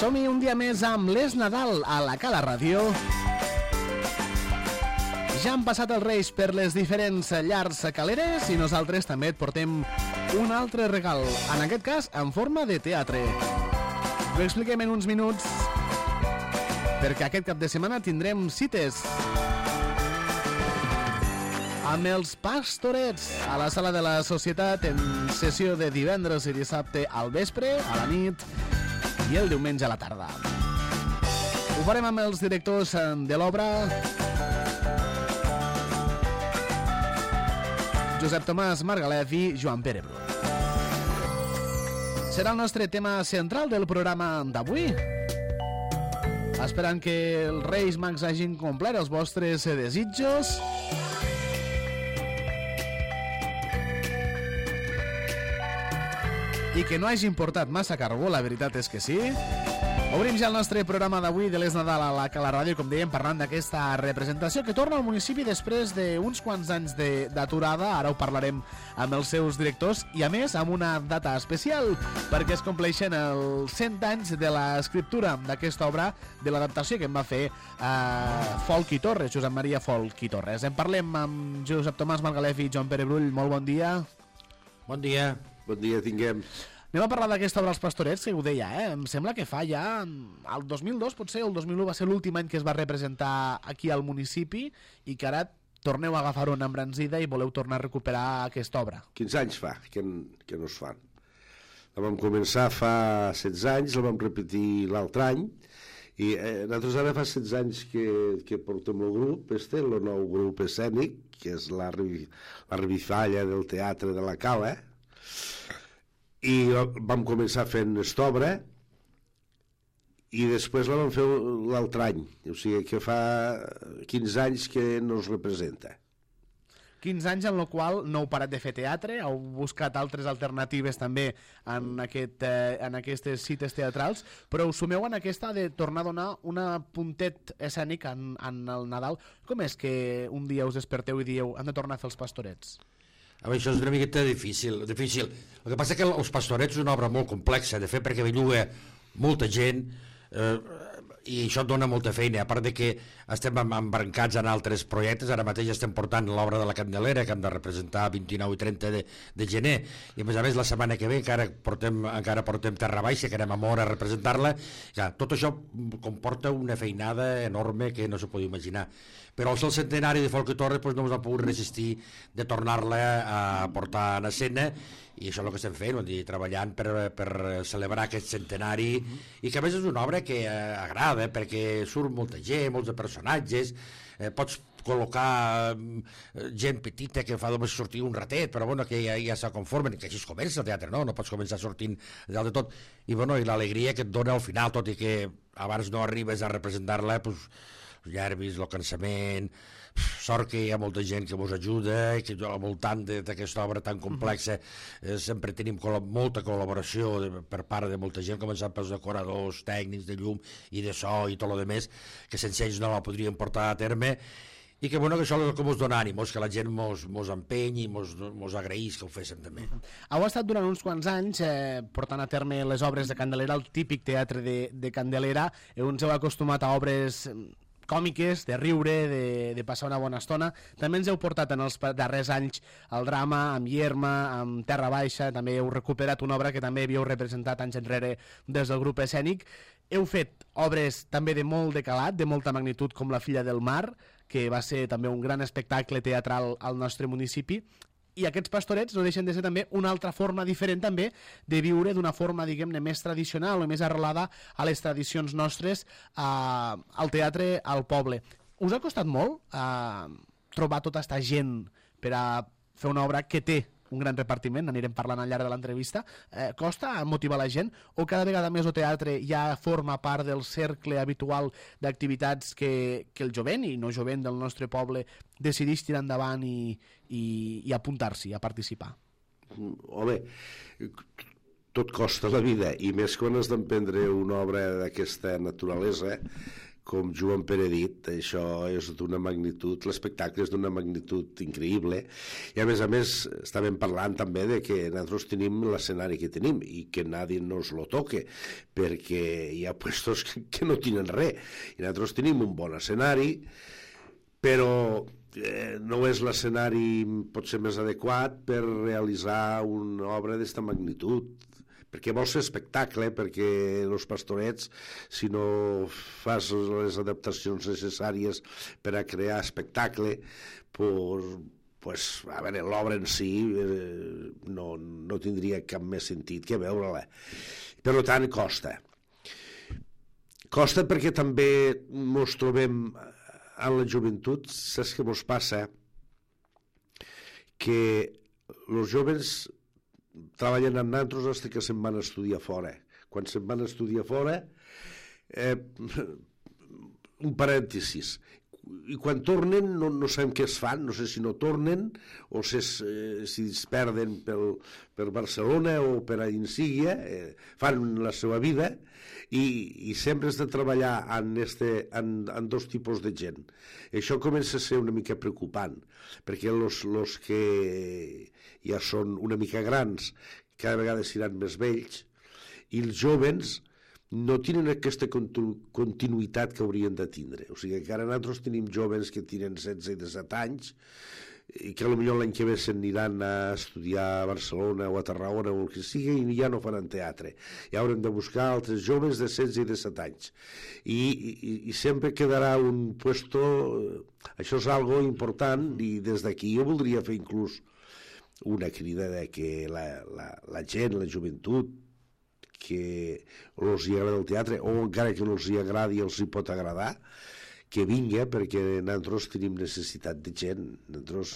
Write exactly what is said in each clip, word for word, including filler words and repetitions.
Som-hi un dia més amb l'Es Nadal a la Cala Ràdio. Ja han passat els Reis per les diferents llars caleres i nosaltres també et portem un altre regal, en aquest cas en forma de teatre. Ho expliquem en uns minuts perquè aquest cap de setmana tindrem cites amb els Pastorets a la Sala de la Societat en sessió de divendres i dissabte al vespre, a la nit i el diumenge a la tarda. Ho farem amb els directors de l'obra, Josep Tomàs Margalef i Joan Pere Bru. Serà el nostre tema central del programa d'avui. Esperant que els Reis Mags hagin complert els vostres desitjos. I que no hagin portat massa carbó, la veritat és que sí. Obrim ja el nostre programa d'avui de l'Es Nadal a la Cala Ràdio, com dèiem, parlant d'aquesta representació que torna al municipi després d'uns quants anys d'aturada. Ara ho parlarem amb els seus directors i, a més, amb una data especial, perquè es compleixen els cent anys de l'escriptura d'aquesta obra, de l'adaptació que en va fer eh, Folch i Torres, Josep Maria Folch i Torres. En parlem amb Josep Tomàs Margalef i Joan Pere Brull. Molt bon dia. Bon dia. Bon dia, tinguem. Anem a parlar d'aquesta obra Els Pastorets, que ho deia, eh? Em sembla que fa ja... El dos mil dos, potser, el dos mil u va ser l'últim any que es va representar aquí al municipi i que ara torneu a agafar una embranzida i voleu tornar a recuperar aquesta obra. quinze anys fa que, que no es fan. La vam començar fa setze anys, la vam repetir l'altre any i eh, nosaltres ara fa setze anys que, que portem el grup, este, el nou grup escènic, que és la, la revifalla del teatre de la Cala, i vam començar fent esta obra i després la vam fer l'altre any, o sigui que fa quinze anys que no es representa. quinze anys en el qual no heu parat de fer teatre, heu buscat altres alternatives també en, aquest, eh, en aquestes cites teatrals, però us sumeu en aquesta de tornar a donar una puntet escènic en, en el Nadal. Com és que un dia us desperteu i dieu hem de tornar a fer Els Pastorets? A veure, això és una miqueta difícil, difícil. El que passa és que Els Pastorets és una obra molt complexa de fer perquè belluga molta gent eh, i això et dona molta feina, a part de que estem embrancats en altres projectes. Ara mateix estem portant l'obra de la Candelera que hem de representar vint-i-nou i trenta de, de gener i a més a més la setmana que ve encara portem, encara portem Terra Baixa, que anem a Mora a representar-la. Ja, tot això comporta una feinada enorme que no s'ho pot imaginar, però el centenari de Folch i Torres doncs, no ens ha pogut resistir de tornar-la a portar en escena i això és el que estem fent, dir, treballant per, per celebrar aquest centenari i que a més és una obra que eh, agrada perquè surt molta gent, molts de personatges, eh, pots col·locar eh, gent petita que fa només sortir un ratet, però bueno, que ja, ja se conformen, que així es comença el teatre, no? No pots començar sortint dalt de tot i, bueno, i l'alegria que et dona al final, tot i que abans no arribes a representar-la, doncs els nervis, el cansament, sort que hi ha molta gent que vos ajuda i que al voltant d'aquesta obra tan complexa eh, sempre tenim col molta col·laboració de, per part de molta gent, començant pels decoradors, tècnics de llum i de so i tot el demés, que sense ells no la podríem portar a terme i que, bueno, que això és el que mos dona ànimos, que la gent mos, mos empenyi i mos, mos agraís que ho féssim també. Heu estat durant uns quants anys eh, portant a terme les obres de Candelera, el típic teatre de, de Candelera. Ens heu acostumat a obres còmiques, de riure, de, de passar una bona estona. També ens heu portat en els darrers anys el drama, amb Ierma, amb Terra Baixa, també heu recuperat una obra que també havíeu representat anys enrere des del grup escènic. Heu fet obres també de molt de calat, de molta magnitud, com La filla del mar, que va ser també un gran espectacle teatral al nostre municipi, i aquests Pastorets no deixen de ser també una altra forma diferent també de viure d'una forma, diguem-ne, més tradicional o més arrelada a les tradicions nostres, eh, al teatre, al poble. Us ha costat molt eh, trobar tota aquesta gent per a fer una obra que té un gran repartiment, n'anirem parlant al llarg de l'entrevista, eh, costa motivar la gent o cada vegada més el teatre ja forma part del cercle habitual d'activitats que, que el jovent i no jovent del nostre poble decideix tirar endavant i, i, i apuntar-s'hi a participar? Home, tot costa la vida i més quan has d'emprendre una obra d'aquesta naturalesa com Joan Pere ha dit, això és d'una magnitud, l'espectacle és d'una magnitud increïble, i a més a més estàvem parlant també de que nosaltres tenim l'escenari que tenim i que nadie nos lo toque, perquè hi ha puestos que, que no tenen res, i nosaltres tenim un bon escenari, però eh, no és l'escenari potser més adequat per realitzar una obra d'esta magnitud, perquè vols fer espectacle, perquè els pastorets, si no fas les adaptacions necessàries per a crear espectacle, pues, pues, a veure, l'obra en si eh, no, no tindria cap més sentit que veure-la. Per tant, costa. Costa perquè també ens trobem en la joventut, saps què ens passa? Que els joves treballen amb nosaltres fins que se'n van a estudiar fora. Quan se'n van a estudiar fora, eh, un parèntesis, i quan tornen no, no sabem què es fan, no sé si no tornen o si es, eh, si es perden pel, per Barcelona o per a Insíguia, eh, fan la seva vida, i, i sempre has de treballar en, este, en, en dos tipus de gent. Això comença a ser una mica preocupant, perquè els que ja són una mica grans cada vegada seran més vells, i els joves no tenen aquesta continuïtat que haurien de tindre. O sigui que ara nosaltres tenim joves que tenen setze i disset anys i que potser l'any que ve s'aniran a estudiar a Barcelona o a Tarragona o el que sigui i ja no faran teatre. Ja haurem de buscar altres joves de setze i disset anys. I, i, i sempre quedarà un puesto... Això és algo important i des d'aquí jo voldria fer inclús una crida de que la, la, la gent, la joventut, que els hi agrada el teatre, o encara que no els hi agradi, els hi pot agradar, que vinga, perquè nosaltres tenim necessitat de gent. Nosaltres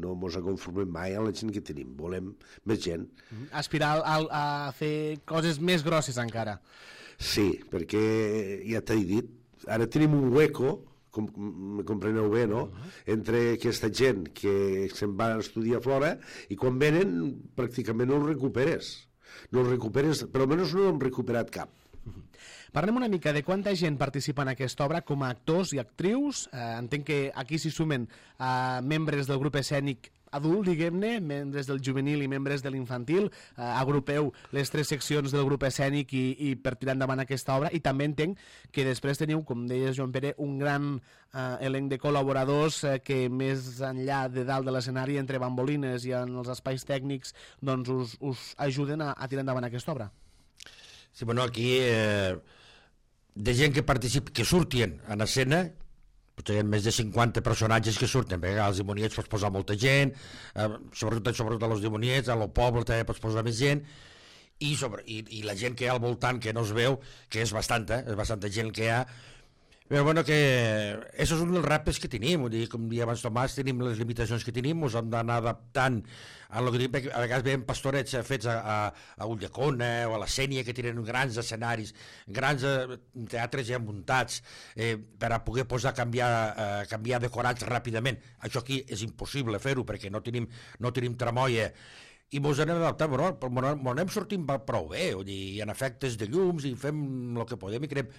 no ens conformem mai a la gent que tenim, volem més gent. Aspirar a, a fer coses més grosses encara. Sí, perquè ja t'he dit, ara tenim un hueco, com me compreneu bé, no? Entre aquesta gent que se'n va a estudiar fora i quan venen pràcticament no els recuperes. No els recuperes, però almenys no hem recuperat cap. Parlem una mica de quanta gent participa en aquesta obra com a actors i actrius. Eh, entenc que aquí s'hi sumen eh, membres del grup escènic adult, diguem-ne, membres del juvenil i membres de l'infantil. Eh, agrupeu les tres seccions del grup escènic i, i per tirar endavant aquesta obra, i també entenc que després teniu, com deies Joan Pere, un gran eh, elenc de col·laboradors eh, que més enllà de dalt de l'escenari, entre bambolines i en els espais tècnics, doncs us, us ajuden a, a tirar endavant aquesta obra. Sí, bueno, aquí eh, de gent que participa, que surten en escena, potser hi ha més de cinquanta personatges que surten, perquè als dimoniets pots posar molta gent, eh, sobretot, sobretot als dimoniets, a lo poble també pots posar més gent, i, sobre, i, i la gent que hi ha al voltant que no es veu, que és bastanta, és bastanta gent que hi ha, però bueno, que això és un dels reptes que tenim, vull dir, com dia abans Tomàs, tenim les limitacions que tenim, ens hem d'anar adaptant a lo que tenim, perquè a vegades veiem pastorets fets a, a, a Ulldecona o a la Sénia, que tenen grans escenaris, grans eh, teatres ja muntats, eh, per a poder posar, canviar, eh, canviar decorats ràpidament. Això aquí és impossible fer-ho, perquè no tenim, no tenim tramoia, i ens anem adaptant, però ens anem sortint prou bé, i en efectes de llums, i fem el que podem, i creem...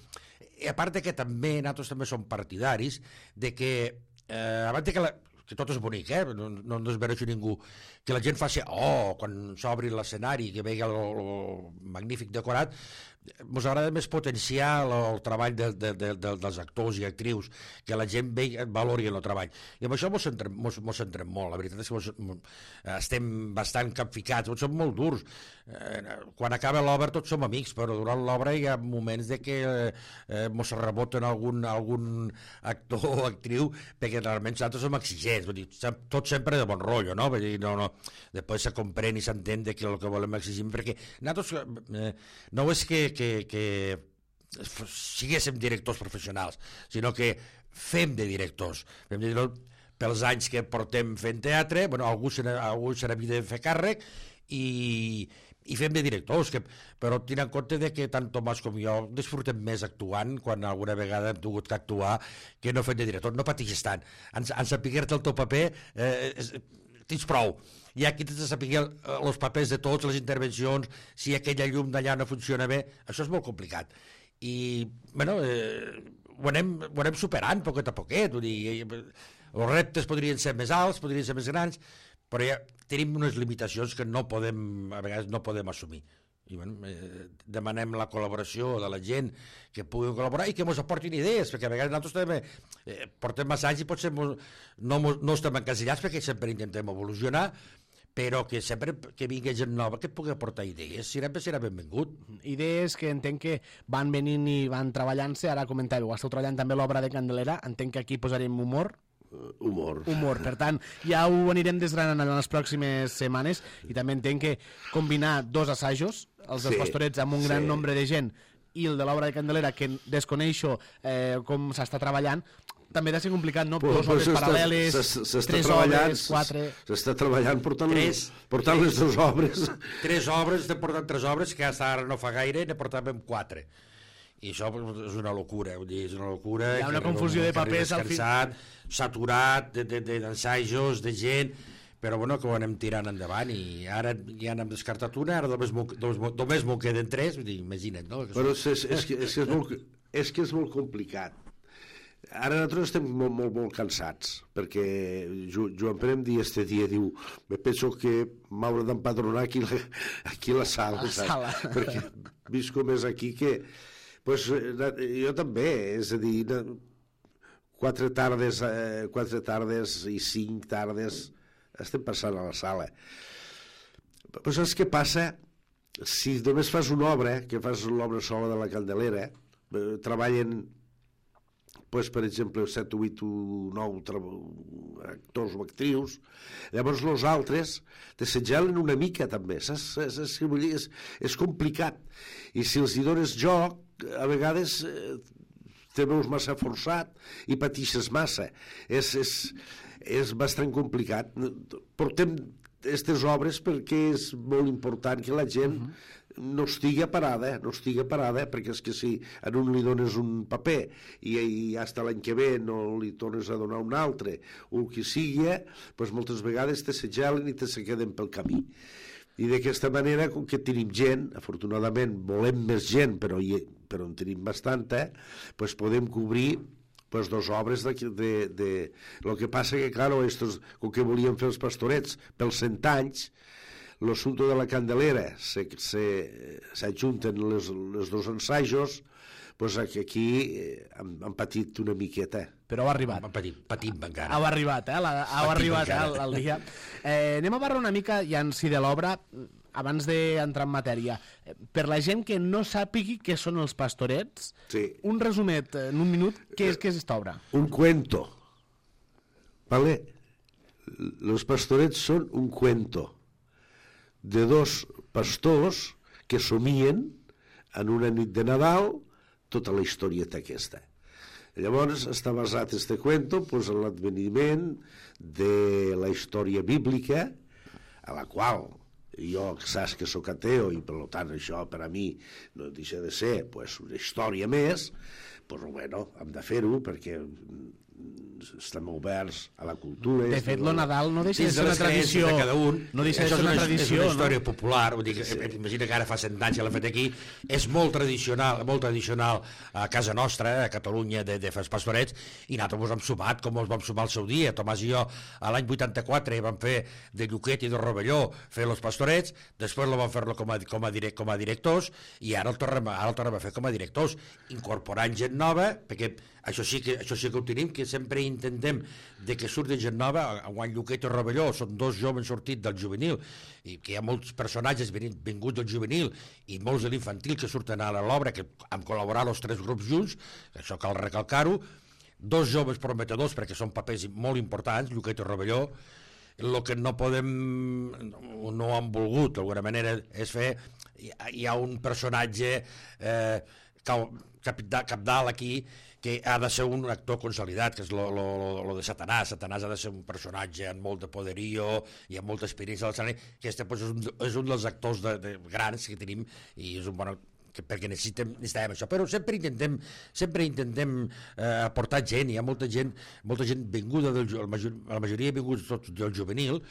I a part de que també, nosaltres també som partidaris de que, eh, abans de que, la, que tot és bonic, eh, no, no ens desmereixo ningú, que la gent faci, oh, quan s'obri l'escenari, que vegi el, el magnífic decorat, ens agrada més potenciar el, el treball de, de, de, de, dels actors i actrius, que la gent vegi, valori el treball. I amb això ens centrem, mos, mos centrem molt, la veritat és que mos, estem bastant capficats, som molt durs. Eh, quan acaba l'obra tots som amics, però durant l'obra hi ha moments de que eh, mos reboten algun, algun actor o actriu, perquè realment nosaltres som exigents, vull dir, tot sempre de bon rotllo, no? Vull dir, no, no. Després se comprèn i s'entén que el que volem exigir, perquè nosaltres eh, no és que que, que siguéssim directors professionals, sinó que fem de directors. Fem de directors pels anys que portem fent teatre, bueno, algú se n'havia de fer càrrec, i, i fem de directors, que, però tenint en compte de que tant Tomàs com jo disfrutem més actuant, quan alguna vegada hem tingut que actuar, que no fem de director. No pateixis tant. En, en saber-te el teu paper, eh, és, tens prou. I aquí tens de saber els papers de tots, les intervencions, si aquella llum d'allà no funciona bé, això és molt complicat. I, bueno, eh, ho anem, ho anem superant poquet a poquet, vull dir, els reptes podrien ser més alts, podrien ser més grans, però ja tenim unes limitacions que no podem, a vegades no podem assumir. I bueno, eh, demanem la col·laboració de la gent que pugui col·laborar i que ens aportin idees, perquè a vegades nosaltres també eh, portem massa anys i potser mos, no, no estem encasellats perquè sempre intentem evolucionar, però que sempre que vingui gent nova que pugui aportar idees, sempre serà benvingut. Idees que entenc que van venint i van treballant-se, ara comentàveu, esteu treballant també l'obra de Candelera, entenc que aquí posarem humor, Uh, humor. humor, per tant, ja ho anirem desgranant en les pròximes setmanes i també entenc que combinar dos assajos, els dels Sí, pastorets amb un gran sí. nombre de gent i el de l'obra de Candelera, que desconeixo eh, com s'està treballant, també ha de ser complicat, no? Pues, Dos obres pues paral·leles, s'està tres treballant, obres, quatre... S'està treballant portant, Tres. portant les dues obres. Tres obres, estem portant tres obres, que hasta ara no fa gaire, ne portàvem quatre. I això és una locura, vull dir, és una locura. Hi ha una que arriba confusió un- de que arriba papers al fi- descansat, saturat de- de- de- d'ensajos, de, de gent, però bueno, que ho anem tirant endavant i ara ja n'hem descartat una, ara només m'ho només, només m'ho queden tres, vull dir, imagina't, no? Que Però és, és, és, que, és, que és, molt, és que és molt complicat. Ara nosaltres estem molt, molt, molt cansats, perquè Jo- Joan Pere em dia este dia, diu, me penso que m'hauré d'empadronar aquí, la- aquí a la sala, A la saps? sala. Perquè visco més aquí que... Pues, jo també, és a dir, quatre tardes, eh, quatre tardes i cinc tardes estem passant a la sala. Però saps què passa? Si només fas una obra, que fas l'obra sola de la Candelera, eh, treballen, pues, per exemple, set, vuit o nou actors o actrius, llavors els altres t'assetjalen una mica també, saps? És, és, és, és complicat. I si els hi dones joc, a vegades eh, te veus massa forçat i patixes massa. És, és, és bastant complicat. Portem aquestes obres perquè és molt important que la gent uh -huh. no estigui parada, no estigui parada, perquè és que si a un li dones un paper i, i hasta l'any que ve no li tornes a donar un altre, o el que sigui, doncs moltes vegades te s'agelen i te se queden pel camí. I d'aquesta manera, com que tenim gent, afortunadament volem més gent, però, hi, però en tenim bastanta, doncs podem cobrir pues dos obres de, de, de... Lo que passa que, claro, estos, com que volien fer els pastorets pels cent anys, l'assumpte de la Candelera s'ajunten les, les dos ensajos, pues aquí eh, han, han patit una miqueta. Però ha arribat. patim, patim encara. Heu arribat, eh? La, heu Patim arribat eh, encara. el, el dia. Eh, anem a parlar una mica ja en si de l'obra, abans d'entrar en matèria. Eh, Per la gent que no sàpigui què són els pastorets, Sí. un resumet en un minut, què és, què és esta obra? Un cuento. ¿Vale? Los pastorets són un cuento de dos pastors que somien en una nit de Nadal tota la historieta aquesta. Llavors està basat este cuento pues, en l'adveniment de la història bíblica, a la qual jo saps que sóc ateo i per tant això per a mi no deixa de ser pues, una història més, pues, bueno, hem de fer-ho perquè estem oberts a la cultura. De fet, lo Nadal no deixa de Dins ser de una les creences tradició. de cada un, No deixa de això ser una és tradició, és una història no? popular, vull dir, que, sí. Imagina que ara fa cent anys que l'ha fet aquí, és molt tradicional, molt tradicional a casa nostra, a Catalunya, de, de fer els pastorets, i nosaltres ens hem sumat, com els vam sumar al seu dia. Tomàs i jo, a l'any vuitanta-quatre, vam fer de Lluquet i de Rovelló, fer els pastorets, després lo vam fer-lo com, a, com, a direct, com a directors, i ara el tornem, ara el tornem a fer com a directors, incorporant gent nova, perquè això sí que, això sí que ho tenim, que sempre intentem de que surti gent nova. A Juan Lluquet i Rovelló són dos joves sortits del juvenil, i que hi ha molts personatges vinguts del juvenil i molts de l'infantil que surten a l'obra, que han col·laborat els tres grups junts, això cal recalcar-ho, dos joves prometedors perquè són papers molt importants, Lluquet i Rovelló. El que no podem, no han volgut d'alguna manera és fer, hi ha un personatge eh, capdalt cap aquí que ha de ser un actor consolidat, que és lo, lo, lo de Satanàs. Satanàs ha de ser un personatge amb molt de poderio i amb molta experiència de l'escenari, que este pues, és, un, és un dels actors de, de grans que tenim i és un bon que perquè necessitem, necessitem això, però sempre intentem sempre intentem eh, aportar gent. Hi ha molta gent molta gent vinguda del, la, major, la majoria vinguts tots del juvenil,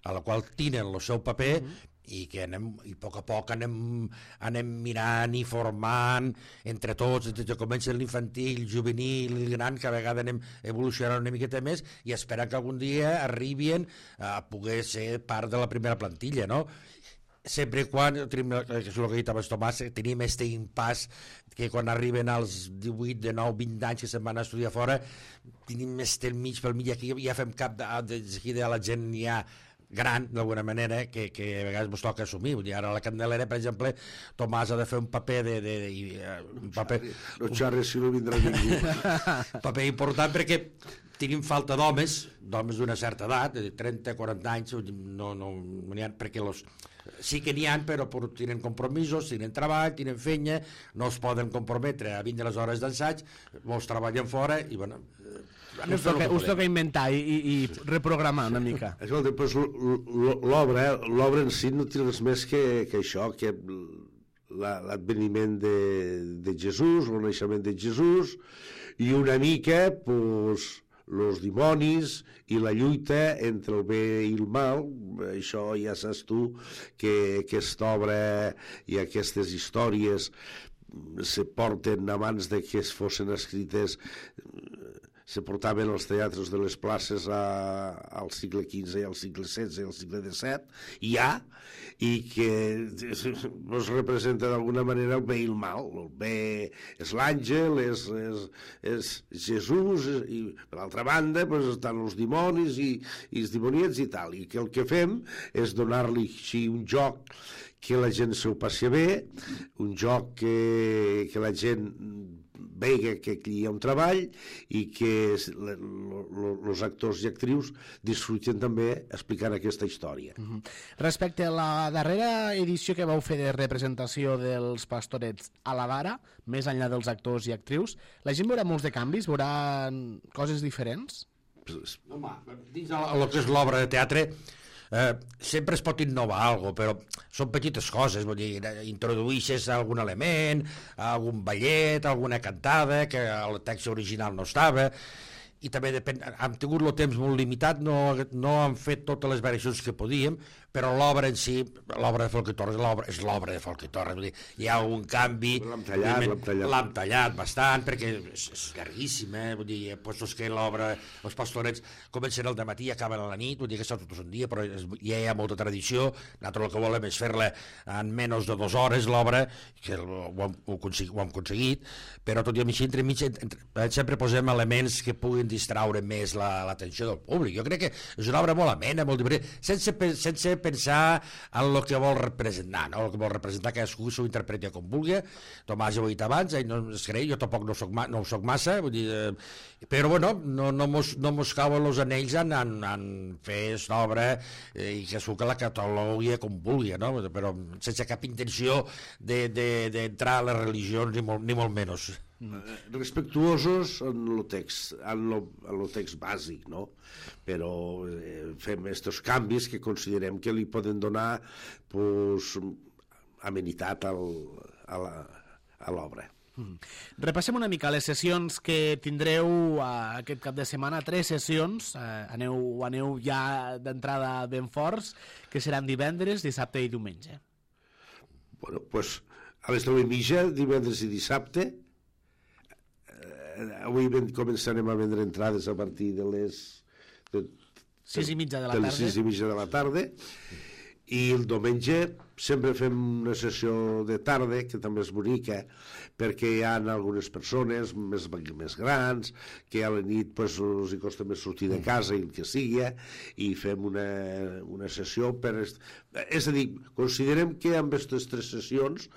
a la qual tenen el seu paper, mm -hmm. i que anem, i a poc a poc anem, anem mirant i formant entre tots, des que comença l'infantil, el juvenil, el gran, que a vegades anem evolucionant una miqueta més i esperant que algun dia arribin a poder ser part de la primera plantilla, no? Sempre quan, tenim, que és el que ha dit abans Tomàs, tenim aquest impàs que quan arriben als divuit, dinou, vint anys que se'n van a estudiar fora, tenim més del mig pel mig, aquí ja fem cap de, de, de, de la gent ja gran, d'alguna manera, que, que a vegades ens toca assumir. Vull dir, ara a la Candelera, per exemple, Tomàs ha de fer un paper de... de, de, de un paper, no xarres si no vindrà ningú. un paper important perquè tenim falta d'homes, d'homes d'una certa edat, de trenta, quaranta anys, no, no, no n'hi ha, perquè los, sí que n'hi ha, però tenen compromisos, tenen treball, tenen feina, no es poden comprometre a vindre les hores d'ensaig, molts treballen fora i, bueno, us toca, us toca inventar i, i, i reprogramar una mica. Escolta, doncs l'obra, l'obra en si no té res més que, que això, que l'adveniment de, de Jesús, el naixement de Jesús, i una mica, doncs, els dimonis i la lluita entre el bé i el mal. Això ja saps tu que aquesta obra i aquestes històries se porten abans de que es fossin escrites, se portaven als teatres de les places a, al segle quinze i al segle setze i al segle disset, ja, i que es representa d'alguna manera el bé i el mal. El bé és l'àngel, és, és, és Jesús, i per l'altra banda pues, estan els dimonis i, i els dimoniets i tal, i que el que fem és donar-li així un joc que la gent s'ho passi bé, un joc que, que la gent vega que aquí hi ha un treball i que els actors i actrius disfruten també explicant aquesta història. Uh-huh. Respecte a la darrera edició que vau fer de representació dels Pastorets a la Vara, més enllà dels actors i actrius, la gent veurà molts de canvis? Veurà coses diferents? Home, dins el que és l'obra de teatre Eh, sempre es pot innovar alguna cosa, però són petites coses, vull dir, introduïixes algun element, algun ballet, alguna cantada que el text original no estava, i també depèn, hem tingut el temps molt limitat, no, no hem fet totes les variacions que podíem, però l'obra en si, l'obra de Folch i Torres és l'obra de Folch i Torres, vull dir, hi ha un canvi, l'hem tallat, l'hem tallat. l'hem tallat bastant, perquè és, és llarguíssim, eh? Vull dir, postos que l'obra, els Pastorets comencen al dematí i acaben a la nit, vull dir que està tot un dia, però és, ja hi ha molta tradició, nosaltres el que volem és fer-la en menys de dues hores, l'obra, que ho hem, ho, consegui, ho hem aconseguit, però tot i així, entre mig, entre, sempre posem elements que puguin distraure més l'atenció la, del públic. Jo crec que és una obra molt amena, molt divertida, sense, sense pensar en el que vol representar, no? El que vol representar cadascú s'ho interpreti com vulgui. Tomàs ja ho ha dit abans, ell no es creu, jo tampoc no soc, ma, no soc massa, vull dir, eh, però bueno, no, no, mos, no mos cauen els anells en, en, en fer aquesta obra eh, i que que la catalogui com vulgui, no? Però sense cap intenció d'entrar de, de, a les religions ni molt, ni molt menys. Mm. Respectuosos en el text, en el text bàsic, no? Però eh, fem aquests canvis que considerem que li poden donar pues, amenitat al, a l'obra. Mm. Repassem una mica les sessions que tindreu uh, aquest cap de setmana, tres sessions, uh, aneu, aneu ja d'entrada ben forts, que seran divendres, dissabte i diumenge. Bueno, pues a les nou i mitja, divendres i dissabte. Avui començarem a vendre entrades a partir de les de, sis i mitja de la de tarda les sis i mitja de la tarda, i el diumenge sempre fem una sessió de tarda que també és bonica perquè hi ha algunes persones més, més grans que a la nit pues, els hi costa més sortir de casa i el que sigui, i fem una, una sessió per... És a dir, considerem que amb aquestes tres sessions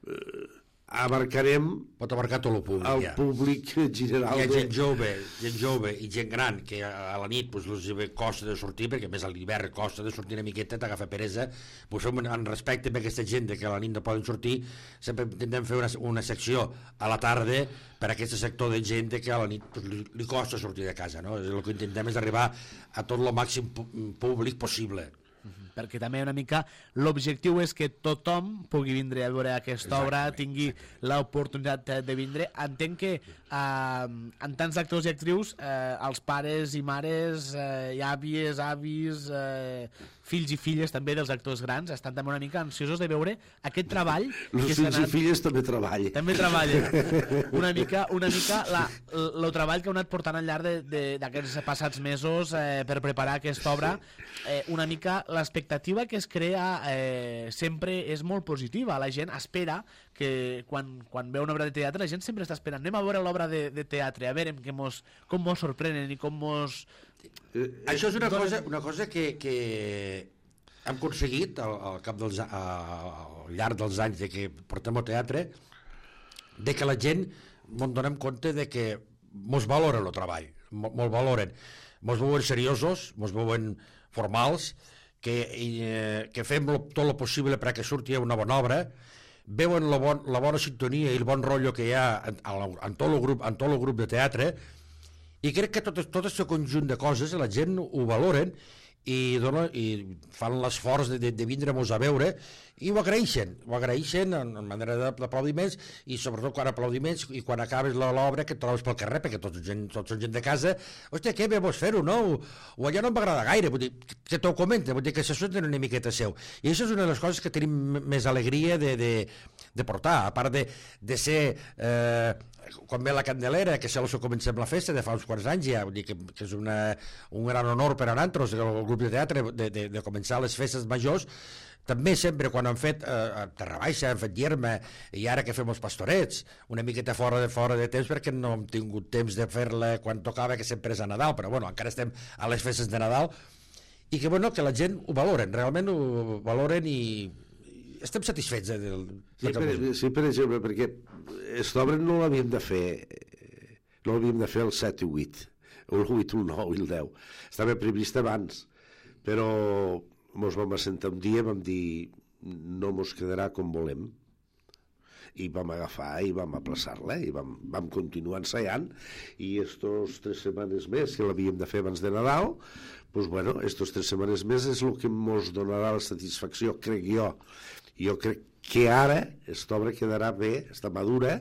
eh, abarcarem pot abarcar tot el públic, el ja. públic general. Hi ha de... gent jove, gent jove i gent gran que a la nit pues, els costa de sortir, perquè a més a l'hivern costa de sortir una miqueta, t'agafa peresa, pues, fem en respecte a aquesta gent que a la nit no poden sortir, sempre intentem fer una, una secció a la tarda per a aquest sector de gent que a la nit pues, li, li costa sortir de casa, no? El que intentem és arribar a tot el màxim públic possible. Per perquè també una mica l'objectiu és que tothom pugui vindre a veure aquesta obra, tingui l'oportunitat de vindre. Entenc que eh, en tants actors i actrius eh, els pares i mares, eh, i àvies, avis, eh, fills i filles també dels actors grans estan també una mica ansiosos de veure aquest treball. Els que fills anat... i filles també treballen. També treballen. Una mica, una mica la, el treball que heu anat portant al llarg d'aquests passats mesos eh, per preparar aquesta obra, eh, una mica l'expectativa que es crea eh, sempre és molt positiva. La gent espera que quan, quan veu una obra de teatre, la gent sempre està esperant. Anem a veure l'obra de, de teatre, a veure que mos, com mos sorprenen i com mos... Eh, Això és una cosa, una cosa que, que hem aconseguit al, al, cap dels, a, al llarg dels anys de que portem al teatre, de que la gent ens donem compte de que mos valoren el treball, mos valoren, mos veuen seriosos, mos veuen formals, que, eh, que fem lo, tot el possible perquè surti una bona obra, veuen la, bon, la bona sintonia i el bon rotllo que hi ha en, en, tot el grup, en tot el grup de teatre, i crec que tot, tot aquest conjunt de coses la gent ho valoren i, dona, i fan l'esforç de, de, de vindre-nos a veure i ho agraeixen, ho agraeixen en, en manera d'aplaudiments i sobretot quan aplaudiments i quan acabes l'obra que et trobes pel carrer perquè tots, gent, tots són gent de casa, hòstia, què bé vols fer-ho, no? O, o allò no m'agrada gaire, vull dir, que t'ho comenta, vull dir que se senten una miqueta seu. I això és una de les coses que tenim més alegria de, de, de portar, a part de, de ser... Eh, quan ve la Candelera, que se comencem la festa de fa uns quants anys ja, vull dir que, que és una, un gran honor per a nosaltres, el grup de teatre, de, de, de començar les festes majors. També sempre quan han fet eh, Terra Baixa, han fet Llerma, i ara que fem els pastorets, una miqueta fora de fora de temps perquè no hem tingut temps de fer-la quan tocava, que sempre és a Nadal, però bueno, encara estem a les festes de Nadal, i que bueno, que la gent ho valoren, realment ho valoren i estem satisfets eh, del, sí, per, sí, per exemple, perquè aquesta obra no l'havíem de fer no l'havíem de fer el set i vuit o el vuit, el nou i el deu, estava previst abans, però mos vam assentar un dia, vam dir no mos quedarà com volem, i vam agafar i vam aplaçar-la i vam, vam continuar ensaiant, i estos tres setmanes més que l'havíem de fer abans de Nadal, doncs bueno, estos tres setmanes més és el que mos donarà la satisfacció, crec jo. Jo crec que ara aquesta obra quedarà bé, està madura,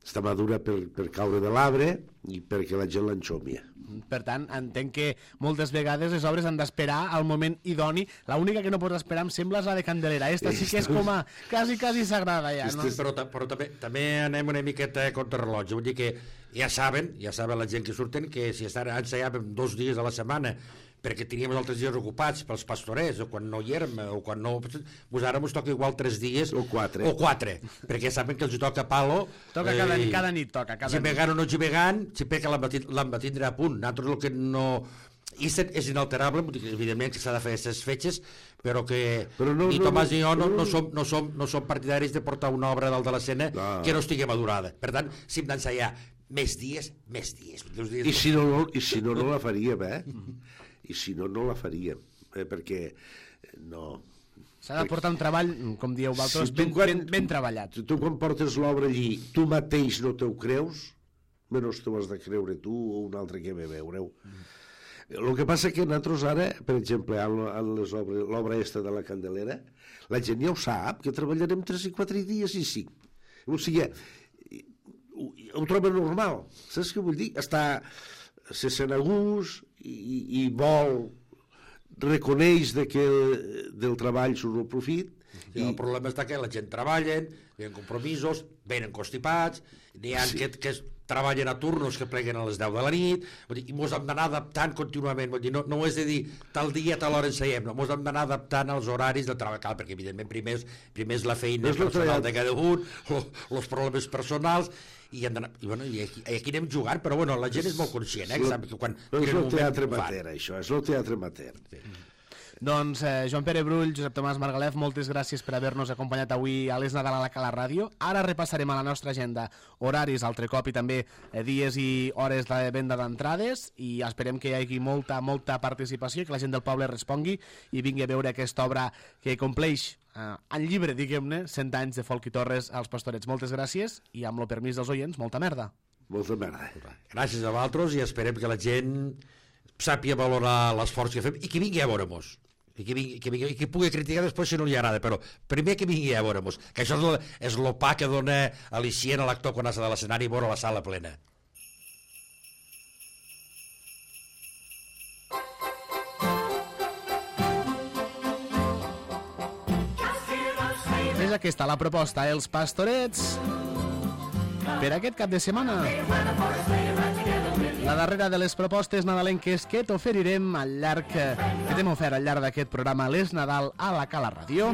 està madura per, per caure de l'arbre i perquè la gent l'enxomia. Per tant, entenc que moltes vegades les obres han d'esperar al moment idoni. L'única que no pots esperar, em sembla, és la de Candelera. Esta sí que és com a... quasi, quasi sagrada ja, no? Però, però també, també anem una miqueta contra rellotge. Vull dir que ja saben, ja saben la gent que surten, que si estan ensaiàvem dos dies a la setmana perquè teníem els altres dies ocupats pels pastorets, o quan no hi érem, o quan no... Pues ara ens toca igual tres dies... O quatre. O quatre, perquè saben que els toca palo... Toca cada, eh, cada nit, toca. Cada gimegant o no gimegant, sempre que l'han de tindre a punt. Nosaltres el que no... I és inalterable, evidentment que s'ha de fer aquestes fetges, però que però no, ni Tomàs no, ni jo no, no, som, no, som, no som partidaris de portar una obra dalt de l'escena no. que no estigui madurada. Per tant, si hem d'ensaiar més dies, més dies. dies I, si no, no, I si no, no la faríem, eh? I si no, no la faríem, eh? perquè no... S'ha de portar un treball, com dieu vosaltres, si ben, quan, ben, ben treballat. Tu quan portes l'obra allí, tu mateix no t'ho creus, menys t'ho has de creure tu o un altre que ve veure-ho. Mm. El que passa que nosaltres ara, per exemple, en l'obra esta de la Candelera, la gent ja ho sap, que treballarem tres i quatre dies i cinc. O sigui, ho, ho troba normal, saps què vull dir? Està... se sent a gust i, i vol reconeix de que del treball surt el profit. Sí, i... El problema està que la gent treballa, venen compromisos, venen constipats, n'hi ha sí. que, que treballen a turnos que pleguen a les deu de la nit, vull dir, i mos hem d'anar adaptant contínuament, vull dir, no, no és de dir tal dia, tal hora enseiem, no, mos hem d'anar adaptant als horaris de treball, perquè evidentment primer és, primer és la feina és personal de cada un, els problemes personals, i, hem i, bueno, i, aquí, i aquí anem jugant, però bueno, la gent és molt conscient, eh? No, sap que quan no és el teatre amateur, això, és el teatre amateur. Sí. Doncs eh, Joan Pere Brull, Josep Tomàs Margalef, moltes gràcies per haver-nos acompanyat avui a l'Es Nadal a la Cala Ràdio. Ara repassarem a la nostra agenda horaris, altre cop, i també eh, dies i hores de venda d'entrades, i esperem que hi hagi molta, molta participació, que la gent del poble respongui i vingui a veure aquesta obra que compleix eh, en llibre, diguem-ne, cent anys de Folk i Torres als Pastorets. Moltes gràcies i amb el permís dels oients, molta merda. Molta merda. Gràcies a vosaltres i esperem que la gent sàpia valorar l'esforç que fem i que vingui a veure-nos. i que, vingui, que, vingui, que pugui criticar després si no li agrada, però primer que vingui a veure-nos, que això és, lo, és el pa que dona al·licient a l'actor quan has de l'escenari i veure la sala plena. És aquesta la proposta, Els Pastorets, per aquest cap de setmana. La darrera de les propostes nadalenques que t'oferirem al llarg, que t'hem ofert al llarg d'aquest programa Les Nadal a la Cala Ràdio,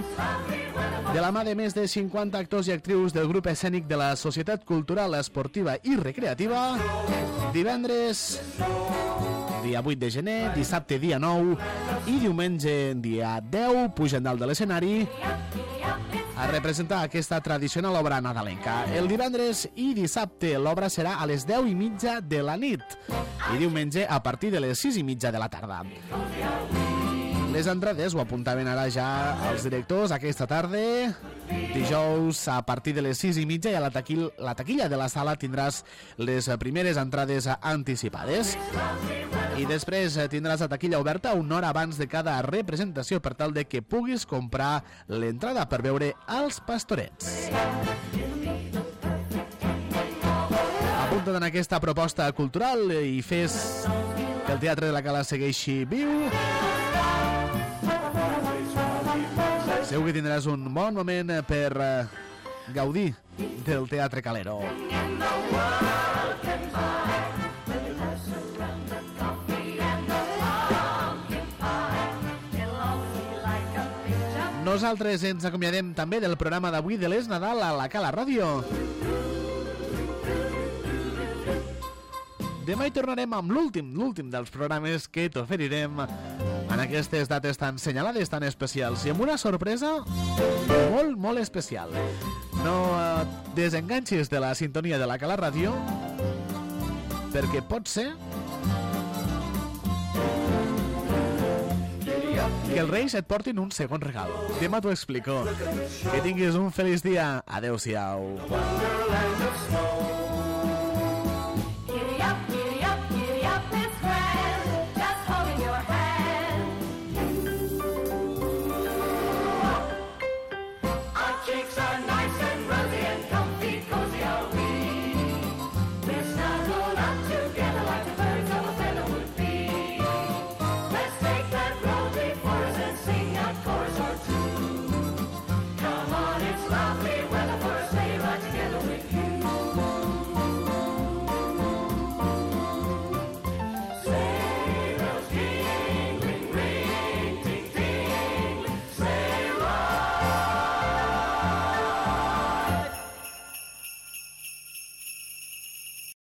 de la mà de més de cinquanta actors i actrius del grup escènic de la Societat Cultural, Esportiva i Recreativa, divendres dia vuit de gener, dissabte dia nou i diumenge dia deu pugen dalt de l'escenari a representar aquesta tradicional obra nadalenca. El divendres i dissabte l'obra serà a les deu i mitja de la nit i diumenge a partir de les sis i mitja de la tarda. Les entrades ho apuntaven ara ja els directors aquesta tarda. Dijous a partir de les sis i mitja i a la, taquil, la taquilla de la sala tindràs les primeres entrades anticipades i després tindràs la taquilla oberta una hora abans de cada representació per tal de que puguis comprar l'entrada per veure Els Pastorets. Apunta't en aquesta proposta cultural i fes que el Teatre de la Cala segueixi viu. Segur que tindràs un bon moment per gaudir del Teatre Calero. Nosaltres ens acomiadem també del programa d'avui de Les Nadal a la Cala Ràdio. Demà hi tornarem amb l'últim, l'últim dels programes que t'oferirem en aquestes dates tan senyalades, tan especials, i amb una sorpresa molt, molt especial. No eh, desenganxis de la sintonia de la Cala Ràdio, perquè pot ser que els Reis et portin un segon regal. Demà t'ho explico. Que tinguis un feliç dia. Adéu-siau.